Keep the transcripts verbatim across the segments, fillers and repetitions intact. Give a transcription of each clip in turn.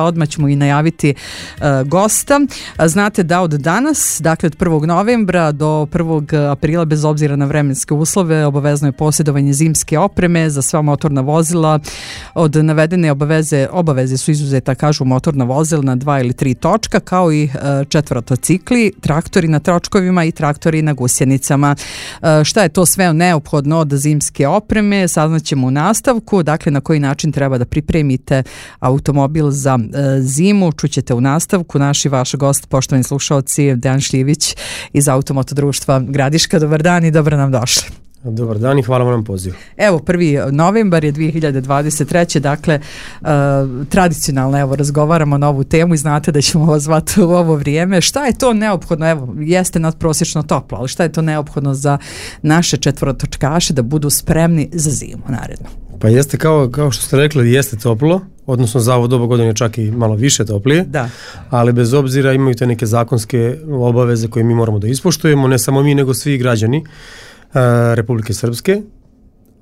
Odmah ćemo i najaviti uh, gosta. Znate da od danas, dakle od prvog novembra do prvog aprila, bez obzira na vremenske uslove, obavezno je posjedovanje zimske opreme za sva motorna vozila. Od navedene obaveze, obaveze su izuzeta, kažu, motorna vozila na dva ili tri točka, kao i uh, četvrotocikli, traktori na tročkovima i traktori na gusjenicama. Uh, šta je to sve neophodno od zimske opreme, saznaćemo u nastavku. Dakle, na koji način treba da pripremite automobil za zimu, čućete u nastavku. Naš i vaš gost, poštovani slušalci, Dejan Šljivić iz Automoto društva Gradiška. Dobar dan i dobro nam došli. Dobar dan i hvala vam na pozivu. Evo, prvi novembar je dvije hiljade dvadeset treće. Dakle, uh, tradicionalno evo razgovaramo na ovu temu i znate da ćemo vas zvati u ovo vrijeme. Šta je to neophodno? Evo, jeste nadprosječno toplo, ali šta je to neophodno za naše četvorotočkaše da budu spremni za zimu naredno? Pa jeste, kao, kao što ste rekli, jeste toplo, odnosno za ovo doba godine čak i malo više toplije, da. Ali bez obzira imaju te neke zakonske obaveze koje mi moramo da ispoštujemo, ne samo mi nego svi građani uh, Republike Srpske.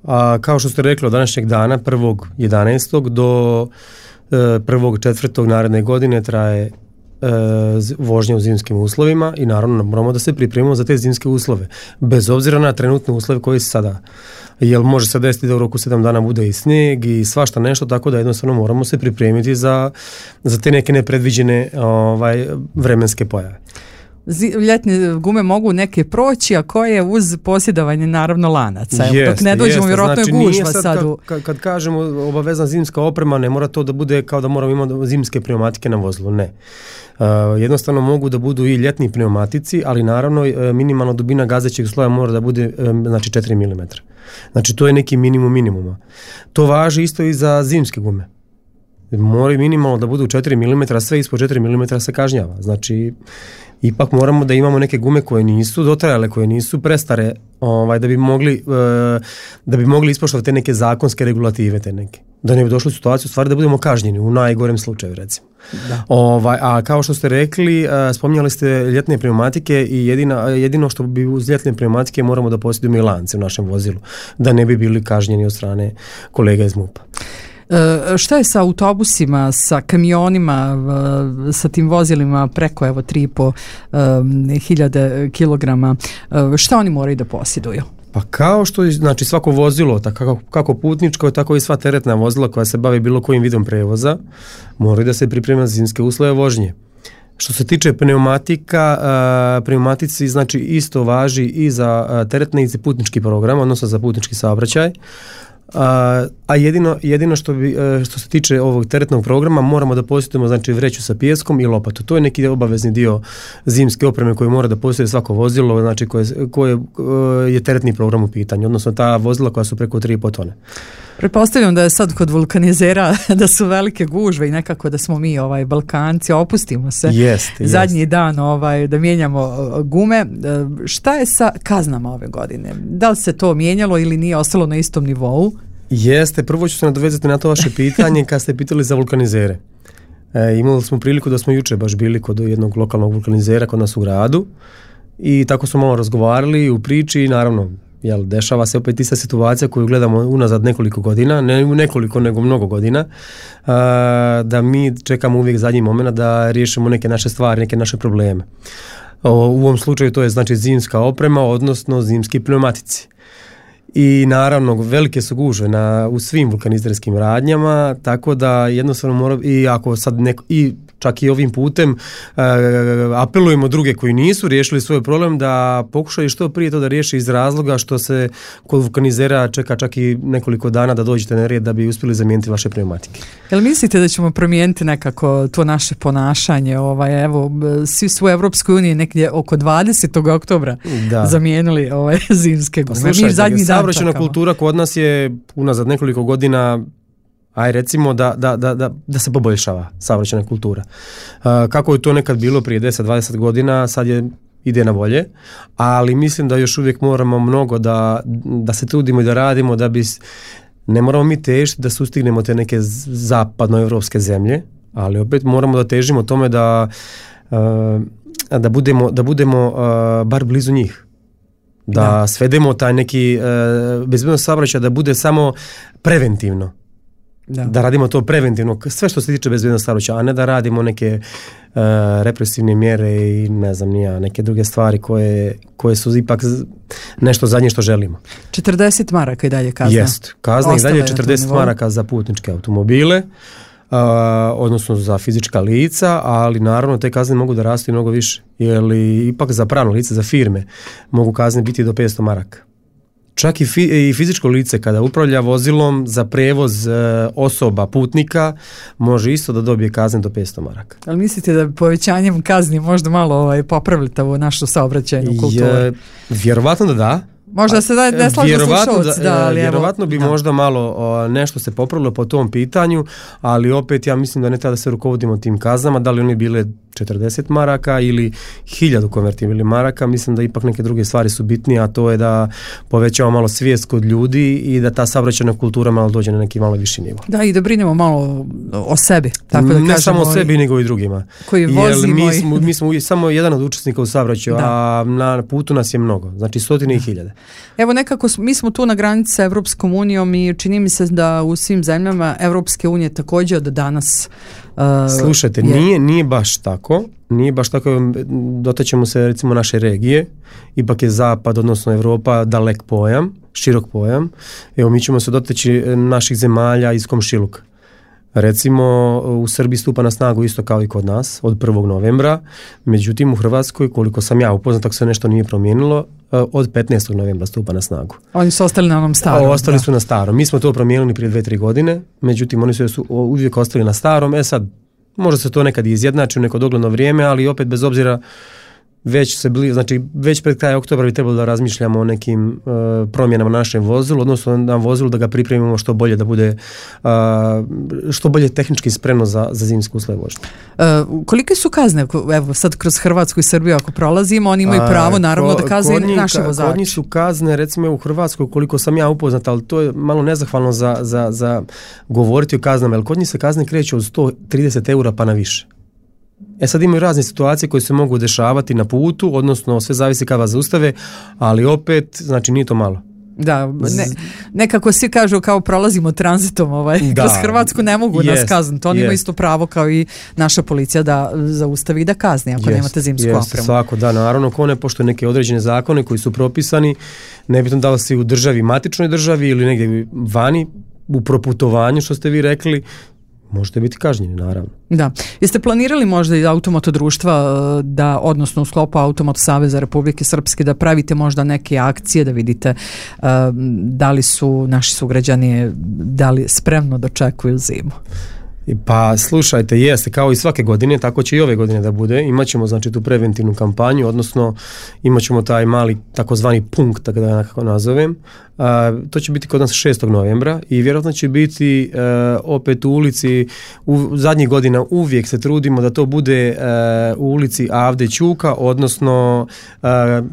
A kao što ste rekli, od današnjeg dana, prvog jedanaestog do uh, prvog četvrtog naredne godine traje uh, vožnja u zimskim uslovima i naravno moramo da se pripremimo za te zimske uslove, bez obzira na trenutne uslove koji se sada, jer može se desiti da u roku sedam dana bude i snijeg i svašta nešto, tako da jednostavno moramo se pripremiti za, za te neke nepredviđene ovaj, vremenske pojave. Ljetne gume mogu neke proći, a koje uz posjedovanje naravno lanaca. Jeste, dok ne dođemo, vjerojatno znači, je gužva sad. sad u... kad, kad kažemo obavezna zimska oprema, ne mora to da bude kao da moramo imati zimske pneumatike na vozilu, ne. Uh, jednostavno mogu da budu i ljetni pneumatici, ali naravno uh, minimalna dubina gazećeg sloja mora da bude um, znači četiri milimetra. Znači to je neki minimum minimuma. To važi isto i za zimske gume. Moraju minimalno da budu četiri milimetra, sve ispod četiri milimetra se kažnjava. Znači ipak moramo da imamo neke gume koje nisu dotrajale, koje nisu prestare, ovaj, da bi mogli uh, da bi mogli ispoštovati te neke zakonske regulative, te neke. Da ne bi došli u situaciju stvari da budemo kažnjeni u najgorem slučaju, recimo. Da. Ovaj, a kao što ste rekli, uh, spominjali ste ljetne pneumatike i jedina, jedino što bi uz ljetne pneumatike moramo da posjedujemo i lance u našem vozilu, da ne bi bili kažnjeni od strane kolega iz MUP-a. E, šta je sa autobusima, sa kamionima, sa tim vozilima preko evo tri i po hiljade kilograma? Šta oni moraju da posjeduju? Pa kao što je, znači svako vozilo, tako, kako putničko, tako i sva teretna vozila koja se bavi bilo kojim vidom prevoza, moraju da se priprema za zimske uslove vožnje. Što se tiče pneumatika, uh, pneumatici znači isto važi i za uh, teretni i za putnički program, odnosno za putnički saobraćaj. Uh, a jedino, jedino što, bi, uh, što se tiče ovog teretnog programa moramo da posjedujemo znači vreću sa pijeskom i lopatu. To je neki obavezni dio zimske opreme koje mora da posjeduje svako vozilo, znači koje, koje uh, je teretni program u pitanju, odnosno ta vozila koja su preko tri i po tone. Pretpostavljam da je sad kod vulkanizera da su velike gužve i nekako da smo mi ovaj Balkanci, opustimo se jest, zadnji jest. dan ovaj, da mijenjamo gume. Šta je sa kaznama ove godine? Da li se to mijenjalo ili nije ostalo na istom nivou? Jeste, prvo ću se nadovezati na to vaše pitanje kad ste pitali za vulkanizere. E, imali smo priliku da smo juče baš bili kod jednog lokalnog vulkanizera kod nas u gradu i tako smo malo razgovarali u priči i naravno jel, dešava se opet ista situacija koju gledamo unazad nekoliko godina, ne nekoliko nego mnogo godina, a, da mi čekamo uvijek zadnji moment da riješimo neke naše stvari, neke naše probleme. O, u ovom slučaju to je znači zimska oprema, odnosno zimski pneumatici. I naravno velike su gužve na, u svim vulkanizerskim radnjama, tako da jednostavno mora, i ako sad neko, i čak i ovim putem uh, apelujemo druge koji nisu riješili svoj problem da pokušaju što prije to da riješi iz razloga što se kod vulkanizera čeka čak i nekoliko dana da dođete na red da bi uspjeli zamijeniti vaše pneumatike. Jel mislite da ćemo promijeniti nekako to naše ponašanje? Ovaj, evo, svi su u Evropskoj uniji nekdje oko dvadesetog oktobra da. zamijenili ovaj, zimske gume. Slušajte, zadnji dan saobraćajna kultura kod nas je unazad nekoliko godina aj recimo da, da, da, da, da se poboljšava saobraćajna kultura. Uh, kako je to nekad bilo prije deset dvadeset godina, sad je ide na bolje, ali mislim da još uvijek moramo mnogo da, da se trudimo i da radimo da bi, ne moramo mi težiti da sustignemo te neke zapadnoevropske zemlje, ali opet moramo da težimo tome da, uh, da budemo, da budemo uh, bar blizu njih. Da, da svedemo taj neki uh, bezbednost saobraćaja da bude samo preventivno. Da. da radimo to preventivno, sve što se tiče bezbednosti saobraćaja, a ne da radimo neke uh, represivne mjere i ne znam nija, neke druge stvari koje, koje su ipak nešto zadnje što želimo. četrdeset maraka i dalje kazna. Jest, kazna i dalje četrdeset maraka za putničke automobile, uh, odnosno za fizička lica, ali naravno te kazne mogu da rastu i mnogo više, jer ipak za pravno lice, za firme, mogu kazne biti do petsto maraka. Čak i, fi, i fizičko lice kada upravlja vozilom za prevoz e, osoba, putnika, može isto da dobije kazne do petsto maraka. Ali mislite da povećanjem kazni možda malo ovaj, popravite ovu našu saobraćajnu kulturu? Je, vjerovatno da da. Možda se da ne slažu slušalci, da, ali vjerovatno evo, bi da. možda malo o, nešto se popravilo po tom pitanju, ali opet ja mislim da ne treba da se rukovodimo tim kaznama, da li oni bile četrdeset maraka ili hiljadu konvertibilnih maraka, mislim da ipak neke druge stvari su bitnije, a to je da povećamo malo svijest kod ljudi i da ta saobraćajna kultura malo dođe na neki malo viši nivo. Da, i da brinemo malo o sebi. Tako da ne kažemo, samo o sebi, nego i drugima. Koji vozimo. Mi smo, mi smo samo jedan od učesnika u saobraćaju, a na putu nas je mnogo, znači stotine i hiljade. Evo nekako, mi smo tu na granici sa Evropskom unijom i čini mi se da u svim zemljama Evropske unije također od danas uh, Slušajte, je... nije, nije baš tako, nije baš tako, dotaćemo se recimo naše regije, ipak je zapad, odnosno Evropa, dalek pojam, širok pojam, evo mi ćemo se dotaći naših zemalja iz komšiluka. Recimo u Srbiji stupa na snagu isto kao i kod nas od prvog novembra, međutim u Hrvatskoj, koliko sam ja upoznat, tako se nešto nije promijenilo, od petnaestog novembra stupa na snagu. Oni su ostali na onom starom. O, ostali da. su na starom. Mi smo to promijenili prije dve, tri godine, međutim oni su uvijek ostali na starom. E sad, možda se to nekad izjednači u neko dogledno vrijeme, ali opet bez obzira već se bili, znači već pred kraj oktobra bi trebalo da razmišljamo o nekim uh, promjenama na našem vozilu, odnosno na vozilu da ga pripremimo što bolje da bude uh, što bolje tehnički spremno za, za zimsku uslove vožnje. Uh, kolike su kazne, evo sad kroz Hrvatsku i Srbiju ako prolazimo, oni imaju pravo naravno ko, da kazne njih, naše vozače. Kod njih su kazne recimo u Hrvatskoj koliko sam ja upoznat, ali to je malo nezahvalno za, za, za govoriti o kaznama, jer kod njih se kazne kreću od sto trideset eura pa na više. E sad imaju razne situacije koje se mogu dešavati na putu, odnosno sve zavisi kada vas zaustave, ali opet, znači nije to malo. Da, ne, nekako svi kažu kao prolazimo tranzitom ovaj, da, kroz Hrvatsku ne mogu jest, nas kazniti, oni jest. imaju isto pravo kao i naša policija da zaustavi i da kazni ako jest, nemate zimsku jest, opremu. Svako, da, naravno, ko ne poštuje neke određene zakone koji su propisani, nebitno da li si u državi, matičnoj državi ili negdje vani, u proputovanju što ste vi rekli, možete biti kažnjeni, naravno. Da. Jeste planirali možda i Automoto društva da, odnosno u sklopu Automoto Saveza Republike Srpske da pravite možda neke akcije da vidite uh, da li su naši sugrađani da li spremno dočekuju zimu? Pa slušajte, jeste, kao i svake godine, tako će i ove godine da bude. Imaćemo znači tu preventivnu kampanju, odnosno imaćemo taj mali takozvani punkt, tako da ja nekako nazovem. Uh, to će biti kod nas šestog novembra i vjerojatno će biti uh, opet u ulici, u zadnjih godina uvijek se trudimo da to bude uh, u ulici Avde Ćuka, odnosno uh,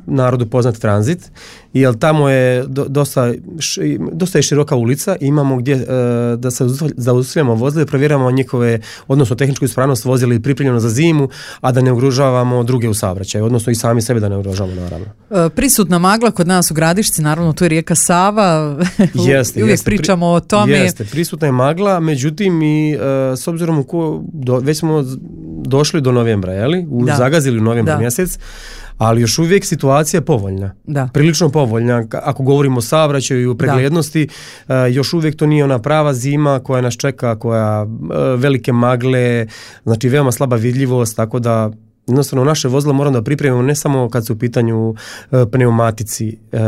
narodu poznat Tranzit, jer tamo je do, dosta, š, dosta je široka ulica i imamo gdje uh, da se zaustavljamo vozile, provjeramo njihove, odnosno tehničku ispravnost vozila i pripremljeno za zimu, a da ne ugrožavamo druge u saobraćaju, odnosno i sami sebe da ne ugrožavamo, naravno. Uh, prisutna magla kod nas u Gradišci, naravno tu je rijeka Sava, jeste, uvijek jeste, pričamo o tome. Jeste, prisutna je magla, međutim i uh, s obzirom u ko, do, već smo došli do novembra, jeli? U, da. Zagazili u novembra da. mjesec, ali još uvijek situacija je povoljna. Da. Prilično povoljna. Ako govorimo o saobraćaju i o preglednosti, uh, još uvijek to nije ona prava zima koja nas čeka, koja uh, velike magle, znači veoma slaba vidljivost, tako da jednostavno naše vozilo moramo da pripremimo ne samo kad su u pitanju uh, pneumatici uh,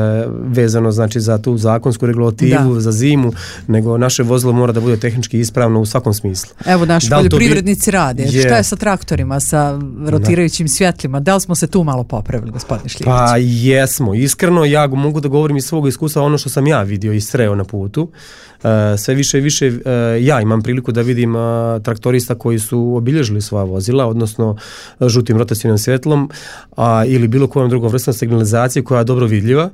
vezano znači za tu zakonsku regulativu, da. Za zimu, nego naše vozilo mora da bude tehnički ispravno u svakom smislu. Evo naši poljoprivrednici bi... rade. Je. Šta je sa traktorima, sa rotirajućim svjetlima? Da li smo se tu malo popravili, gospodine Šljivić? Pa jesmo. Iskreno, ja mogu da govorim iz svog iskustva ono što sam ja vidio i sreo na putu. Uh, sve više i više uh, ja imam priliku da vidim uh, traktorista koji su obilježili svoja vozila, odnosno uh, žutim rotacijnim svjetlom a, ili bilo kojom drugom vrstom signalizacije koja je dobro vidljiva.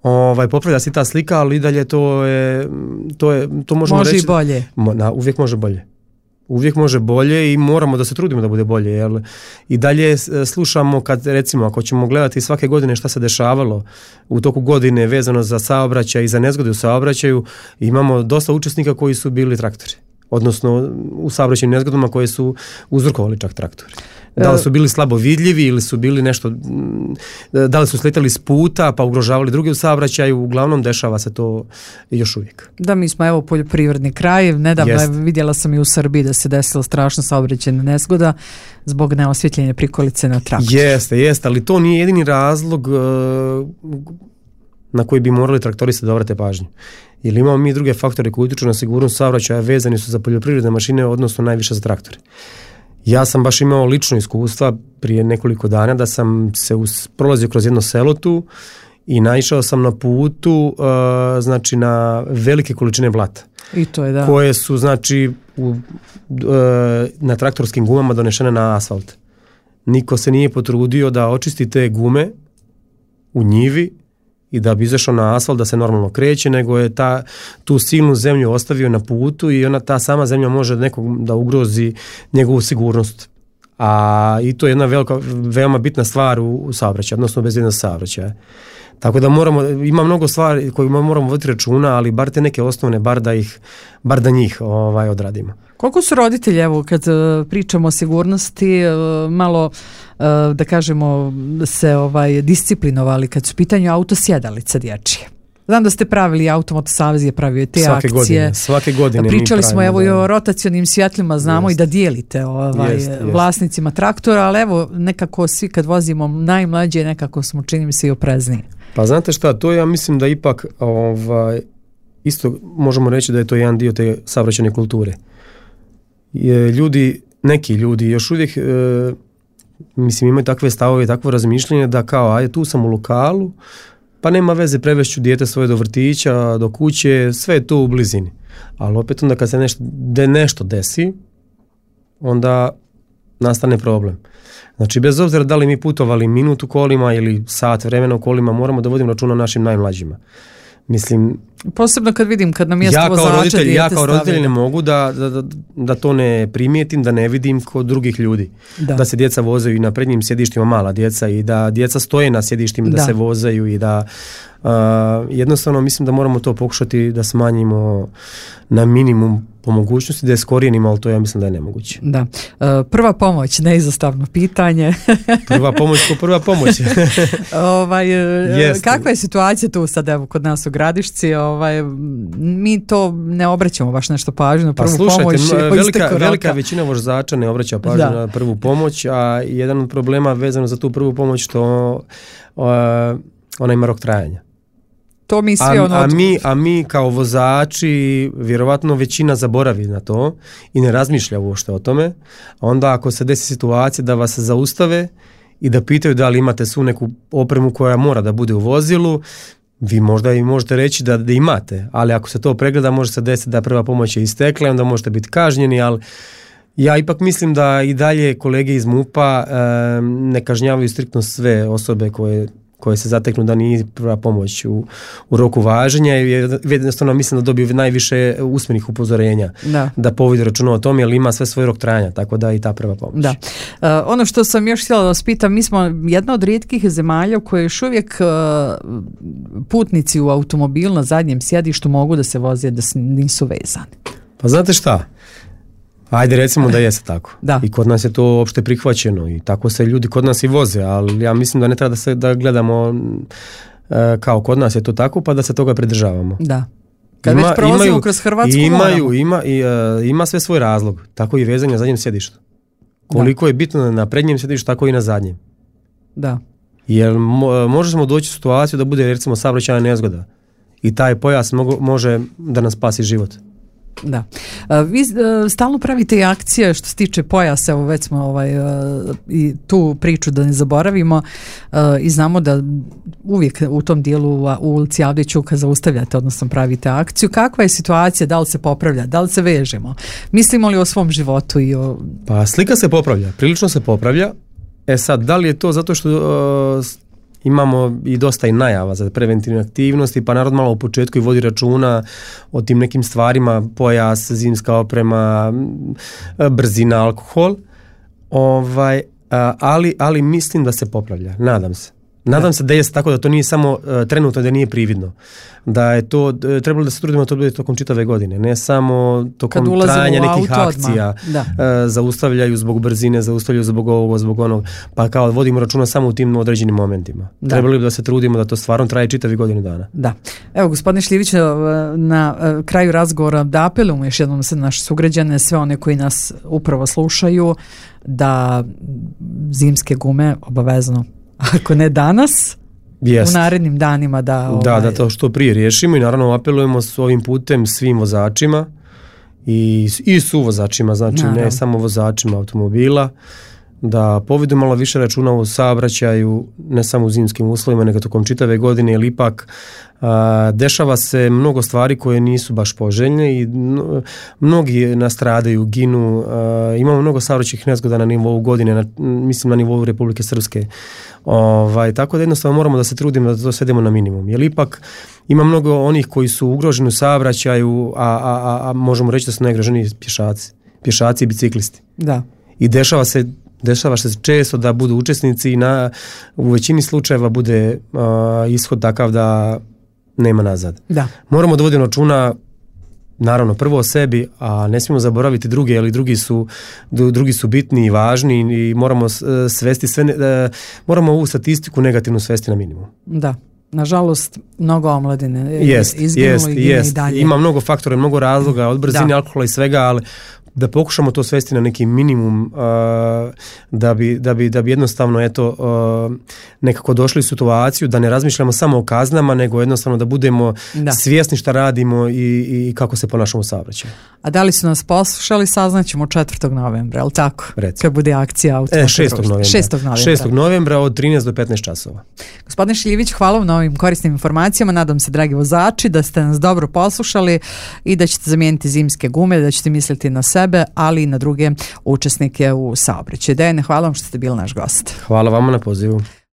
Ovaj, popravlja se ta slika, ali i dalje to je, to je, to možemo može reći. i bolje. Mo, na, uvijek može bolje. Uvijek može bolje i moramo da se trudimo da bude bolje. Jel? I dalje slušamo kad, recimo, ako ćemo gledati svake godine šta se dešavalo u toku godine vezano za saobraćaj i za nezgode u saobraćaju, imamo dosta učesnika koji su bili traktori. Odnosno u saobraćajnim nezgodama koje su uzrokovali čak traktori. Da li su bili slabo vidljivi ili su bili nešto, da li su sletali s puta pa ugrožavali druge u saobraćaju, uglavnom dešava se to još uvijek. Da, mi smo evo poljoprivredni kraj, nedavno Jest. vidjela sam i u Srbiji da se desila strašna saobraćajna nezgoda zbog neosvjetljenja prikolice na traktor. Jeste, jeste, ali to nije jedini razlog na koji bi morali traktoristi da obrate pažnju. Jer imamo mi druge faktore koji utječu na sigurnost saobraćaja, vezani su za poljoprivredne mašine, odnosno najviše za traktore. Ja sam baš imao lično iskustva prije nekoliko dana da sam se us, prolazio kroz jedno selo tu i naišao sam na putu uh, znači na velike količine blata. I to je da. Koje su znači u, uh, na traktorskim gumama donešene na asfalt. Niko se nije potrudio da očisti te gume u njivi i da bi izašao na asfalt da se normalno kreće, nego je ta, tu silnu zemlju ostavio na putu i ona, ta sama zemlja može nekog da ugrozi njegovu sigurnost. A i to je jedna velika, veoma bitna stvar u, u saobraćaju, odnosno bezbednost saobraćaja. Tako da moramo, ima mnogo stvari koje moramo voditi računa, ali bar te neke osnovne, bar da ih, bar da njih ovaj, odradimo. Koliko su roditelji, evo kad uh, pričamo o sigurnosti, uh, malo uh, da kažemo se ovaj disciplinovali kad su u pitanju autosjedalice dječje? Znam da ste pravili, Automoto Savez je pravio te svake akcije. Godine, svake godine Pričali mi smo evo da. i o rotacionim svjetlima, znamo jest. I da dijelite ovaj, jest, jest. vlasnicima traktora, ali evo nekako svi kad vozimo najmlađe nekako smo čini mi se i oprezniji. Pa znate šta, to ja mislim da ipak ovaj, isto možemo reći da je to jedan dio te saobraćajne kulture. Je, ljudi, neki ljudi još uvijek e, mislim imaju takve stavove i takvo razmišljanje da kao ajde tu sam u lokalu, pa nema veze, prevešću dijete svoje do vrtića, do kuće, sve je to u blizini. Ali opet onda kad se nešto, de nešto desi, onda nastane problem. Znači bez obzira da li mi putovali minut u kolima ili sat vremena u kolima, moramo da vodimo računa o našim najmlađima. Mislim, posebno kad vidim kad na mjesto ja kao vozača roditelj, dijete ja kao roditelj stavljaju. ne mogu da, da, da to ne primijetim, da ne vidim kod drugih ljudi. Da, da se djeca vozaju i na prednjim sjedištima, mala djeca, i da djeca stoje na sjedištima, da, da se vozaju i da uh, jednostavno mislim da moramo to pokušati da smanjimo na minimum po mogućnosti, da je skorijenimo, ali to ja mislim da je nemoguće. Da. Uh, prva pomoć, neizostavno pitanje. Prva pomoć ko prva pomoć. ovaj, kakva je situacija tu sad evo kod nas u Gradišci? Ovaj, mi to ne obraćamo baš nešto pažnju na prvu pa, slušajte, pomoć. Velika, velika većina vozača ne obraća pažnju da. na prvu pomoć, a jedan od problema vezano za tu prvu pomoć što uh, ona ima rok trajanja. To mi svi a, ono... a, mi, a mi kao vozači vjerovatno većina zaboravi na to i ne razmišlja uopšte o tome. Onda ako se desi situacija da vas zaustave i da pitaju da li imate svu neku opremu koja mora da bude u vozilu, vi možda i možete reći da, da imate, ali ako se to pregleda može se desiti da prva pomoć je istekla i onda možete biti kažnjeni, ali ja ipak mislim da i dalje kolege iz MUP-a e, ne kažnjavaju striktno sve osobe koje koje se zateknu da nije prva pomoć u, u roku važenja i jednostavno mislim da dobiju najviše usmenih upozorenja da, da povodi računa o tome, jer ima sve svoj rok trajanja, tako da i ta prva pomoć. Da. Uh, ono što sam još htjela da vas pitam, mi smo jedna od rijetkih zemalja u kojoj još uvijek uh, putnici u automobilu na zadnjem sjedištu mogu da se voze da nisu vezani. Pa znate šta? Ajde recimo da jeste tako. Da. I kod nas je to opšte prihvaćeno i tako se ljudi kod nas i voze, ali ja mislim da ne treba da se da gledamo e, kao kod nas je to tako pa da se toga pridržavamo. Da. Kad ima, već prolazimo imaju, kroz Hrvatsku imaju, ima, i, e, ima sve svoj razlog, tako i vezanje na zadnjem sjedištu. Koliko da. je bitno na prednjem sjedištu, tako i na zadnjem. Da. Jer mo, možemo doći u situaciju da bude recimo saobraćajna nezgoda i taj pojas mogo, može da nas spasi život. Da. Vi stalno pravite i akcije što se tiče pojasa, evo već smo ovaj, i tu priču da ne zaboravimo i znamo da uvijek u tom dijelu u ulici Avdićuka zaustavljate, odnosno pravite akciju. Kakva je situacija, da li se popravlja, da li se vežemo? Mislimo li o svom životu? I o... Pa slika se popravlja, prilično se popravlja. E sad, da li je to zato što uh, imamo i dosta i najava za preventivne aktivnosti, pa narod malo u početku i vodi računa o tim nekim stvarima, pojas, zimska oprema, brzina, alkohol, ovaj, ali, ali mislim da se popravlja, nadam se. Nadam se da je tako, da to nije samo uh, trenutno, da nije prividno. Da je to, uh, trebalo da se trudimo da to bude tokom čitave godine, ne samo tokom trajanja nekih akcija. Uh, zaustavljaju zbog brzine, zaustavljaju zbog ovog, zbog onog, pa kao vodimo računa samo u tim određenim momentima. Da. Trebali bi da se trudimo da to stvarno traje čitavi godinu dana. Da. Evo, gospodine Šljivić, na kraju razgovora da apelujemo još jednom se naše sugrađane, sve one koji nas upravo slušaju, da zimske gume obavezno, ako ne danas, Jest. u narednim danima da... Ovaj... Da, da to što prije riješimo i naravno apelujemo s ovim putem svim vozačima i, i suvozačima, znači naravno. Ne samo vozačima automobila, da povedu malo više računa u saobraćaju, ne samo u zimskim uslovima, nego tokom čitave godine, jer ipak a, dešava se mnogo stvari koje nisu baš poželjne i no, mnogi nastradaju, ginu, a, imamo mnogo saobraćajnih nezgoda na nivou godine, na, mislim na nivou Republike Srpske. Ovaj, tako da jednostavno moramo da se trudimo da to svedemo na minimum, jer ipak ima mnogo onih koji su ugroženi u saobraćaju, a, a, a, a možemo reći da su najugroženiji pješaci, pješaci i biciklisti. Da. I dešava se Dešava se često da budu učesnici i na, u većini slučajeva bude uh, ishod takav da nema nazad. Da. Moramo da vodimo računa naravno prvo o sebi, a ne smijemo zaboraviti druge, ali drugi su, drugi su bitni i važni i moramo svesti sve, uh, moramo ovu statistiku negativno svesti na minimum. Da. Nažalost, mnogo omladine jest, izginulo jest, i gine jest. I dalje. Ima mnogo faktora, mnogo razloga, od brzine, da. Alkohola i svega, ali da pokušamo to svesti na neki minimum uh, da, bi, da, bi, da bi jednostavno eto, uh, nekako došli u situaciju da ne razmišljamo samo o kaznama, nego jednostavno da budemo da. svjesni šta radimo i, i kako se ponašamo u saobraćaju. A da li su nas poslušali, saznaćemo četvrtog novembra, je li tako? Recimo. Kad bude akcija automobilnog. E, šestog novembra. šestog novembra. šestog novembra od trinaest do petnaest časova. Gospodine Šljivić, hvala vam na ovim korisnim informacijama. Nadam se, dragi vozači, da ste nas dobro poslušali i da ćete zamijeniti zimske gume, da ćete misliti na sebe, ali i na druge učesnike u saobraćaju. Dejane, hvala vam što ste bili naš gost. Hvala vama na pozivu.